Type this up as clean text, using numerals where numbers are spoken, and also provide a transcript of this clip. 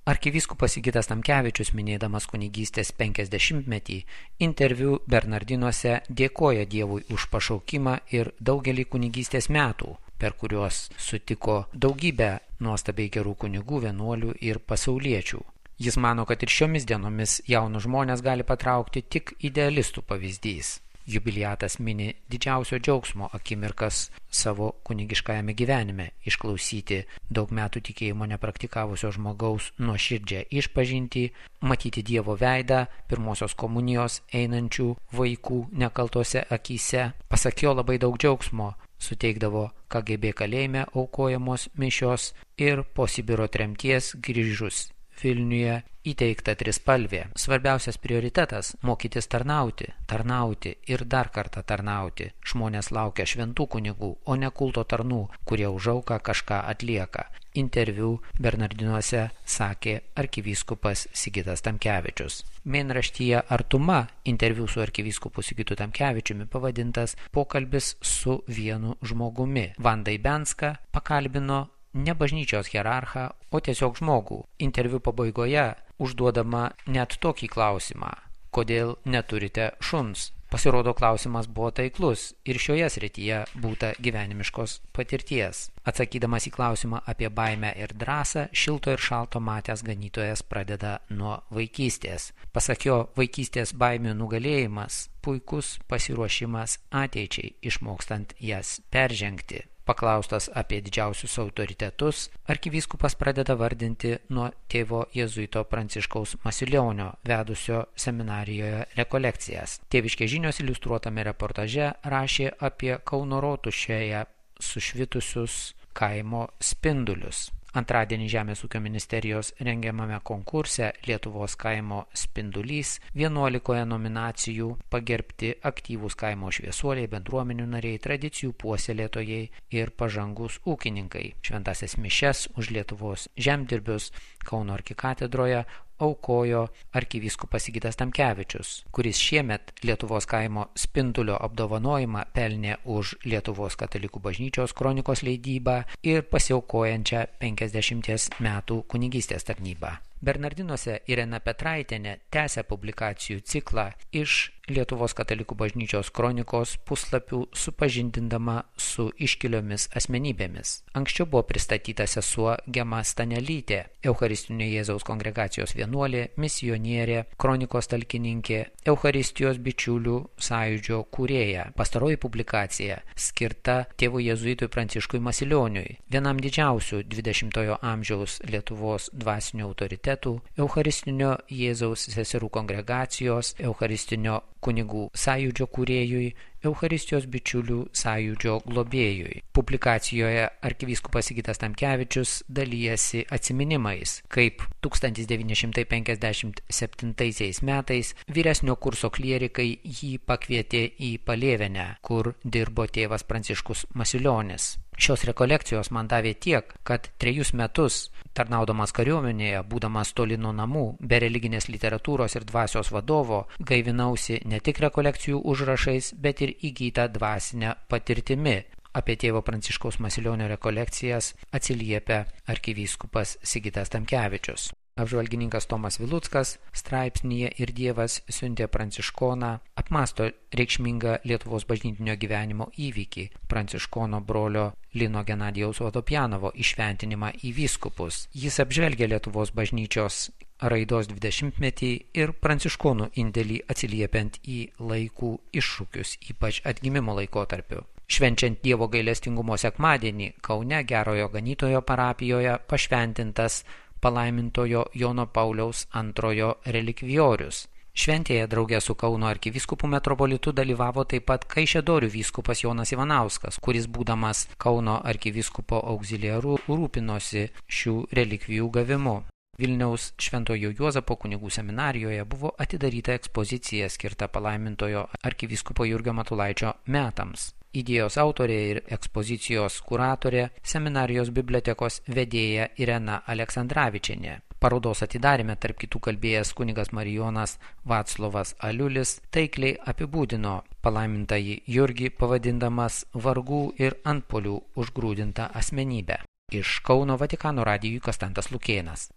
Arkivyskupas Sigitas Tamkevičius, minėdamas kunigystės 50-metį, interviu Bernardinuose dėkoja Dievui už pašaukimą ir daugelį kunigystės metų, per kuriuos sutiko daugybę nuostabiai gerų kunigų, vienuolių ir pasauliečių. Jis mano, kad ir šiomis dienomis jaunus žmonės gali patraukti tik idealistų pavyzdys. Jubiliatas mini didžiausio džiaugsmo akimirkas savo kunigiškajame gyvenime – išklausyti daug metų tikėjimo nepraktikavusio žmogaus nuoširdžią išpažintį, matyti Dievo veidą, pirmosios komunijos einančių vaikų nekaltose akyse. Pasak jo, labai daug džiaugsmo suteikdavo KGB kalėjime aukojamos mišios ir po Sibiro tremties grįžus Vilniuje įteikta trispalvė. Svarbiausias prioritetas – mokytis tarnauti ir dar kartą tarnauti. Žmonės laukia šventų kunigų, o ne kulto tarnų, kurie už auką kažką atlieka. Interviu Bernardinuose sakė arkivyskupas Sigitas Tamkevičius. Mėnraštyje Artuma interviu su arkivyskupu Sigitu Tamkevičiumi pavadintas Pokalbis su vienu žmogumi. Vanda Ibenska pakalbino ne bažnyčios hierarchą, o tiesiog žmogų. Interviu pabaigoje užduodama net tokį klausimą: kodėl neturite šuns? Pasirodo, klausimas buvo taiklus ir šioje srityje būta gyvenimiškos patirties. Atsakydamas į klausimą apie baimę ir drąsą, šilto ir šalto matęs ganytojas pradeda nuo vaikystės. Pasak jo, vaikystės baimių nugalėjimas – puikus pasiruošimas ateičiai, išmokstant jas peržengti. Paklaustas apie didžiausius autoritetus, arkivyskupas pradeda vardinti nuo tėvo jėzuito Pranciškaus Masilionio, vedusio seminarijoje rekolekcijas. Tėviškės žinios iliustruotame reportaže rašė apie Kauno rotušėje sušvitusius kaimo spindulius. Antradienį Žemės ūkio ministerijos rengiamame konkurse Lietuvos kaimo spindulys 11 nominacijų pagerbti aktyvūs kaimo šviesuoliai, bendruomenių nariai, tradicijų puoselėtojai ir pažangus ūkininkai. Šventąsias mišias už Lietuvos žemdirbius Kauno arkikatedroje aukojo arkivyskupas Sigitas Tamkevičius, kuris šiemet Lietuvos kaimo spindulio apdovanojimą pelnė už Lietuvos katalikų bažnyčios kronikos leidybą ir pasiaukojančią 50 metų kunigystės tarnybą. Bernardinuose Irena Petraitienė tęsia publikacijų ciklą iš Lietuvos katalikų bažnyčios kronikos puslapių supažindindama su iškiliomis asmenybėmis. Anksčiau buvo pristatyta sesuo Gema Stanelytė, Eucharistinio Jėzaus kongregacijos vienuolė, misionierė, kronikos talkininkė, Eucharistijos bičiulių sąjūdžio kūrėja. Pastaroji publikacija skirta tėvui jėzuitui Pranciškui Masilioniui, vienam didžiausių 20-ojo amžiaus Lietuvos dvasinių autoritetų, Eucharistinio Jėzaus seserų kongregacijos, Eucharistinio kunigų sąjūdžio kūrėjui, Eucharistijos bičiulių sąjūdžio globėjui. Publikacijoje arkivyskupas Sigitas Tamkevičius dalijasi atsiminimais, kaip 1957 metais vyresnio kurso klierikai jį pakvietė į Palėvenę, kur dirbo tėvas Pranciškus Masilionis. Šios rekolekcijos man davė tiek, kad 3 metus, tarnaudamas kariuomenėje, būdamas toli nuo namų, be religinės literatūros ir dvasios vadovo, gaivinausi ne tik rekolekcijų užrašais, bet ir įgytą dvasinę patirtimi. Apie tėvo Pranciškaus Masilionio rekolekcijas atsiliepia arkivyskupas Sigitas Tamkevičius. Apžvalgininkas Tomas Viluckas straipsnyje Ir Dievas siuntė pranciškoną apmąsto reikšmingą Lietuvos bažnytinio gyvenimo įvykį – pranciškono brolio Lino Genadijaus Vodopjanovo įšventinimą į vyskupus. Jis apžvelgia Lietuvos bažnyčios raidos 20-metį ir pranciškonų indėlį atsiliepiant į laikų iššūkius, ypač atgimimo laikotarpiu. Švenčiant Dievo gailestingumo sekmadienį Kaune Gerojo Ganytojo parapijoje pašventintas palaimintojo Jono Pauliaus II relikvijorius. Šventėje drauge su Kauno arkivyskupu metropolitu dalyvavo taip pat Kaišiadorių vyskupas Jonas Ivanauskas, kuris būdamas Kauno arkivyskupo auxiliaru rūpinosi šių relikvijų gavimu. Vilniaus Šventojo Juozapo kunigų seminarijoje buvo atidaryta ekspozicija skirta palaimintojo arkivyskupo Jurgio Matulaičio metams. Idėjos autorė ir ekspozicijos kuratorė seminarijos bibliotekos vedėja Irena Aleksandravičienė. Parodos atidarėme tarp kitų kalbėjęs kunigas Marijonas Vaclovas Aliulis taikliai apibūdino palaimintąjį Jurgį, pavadindamas vargų ir antpolių užgrūdintą asmenybę. Iš Kauno Vatikano radijui Konstantas Lukėnas.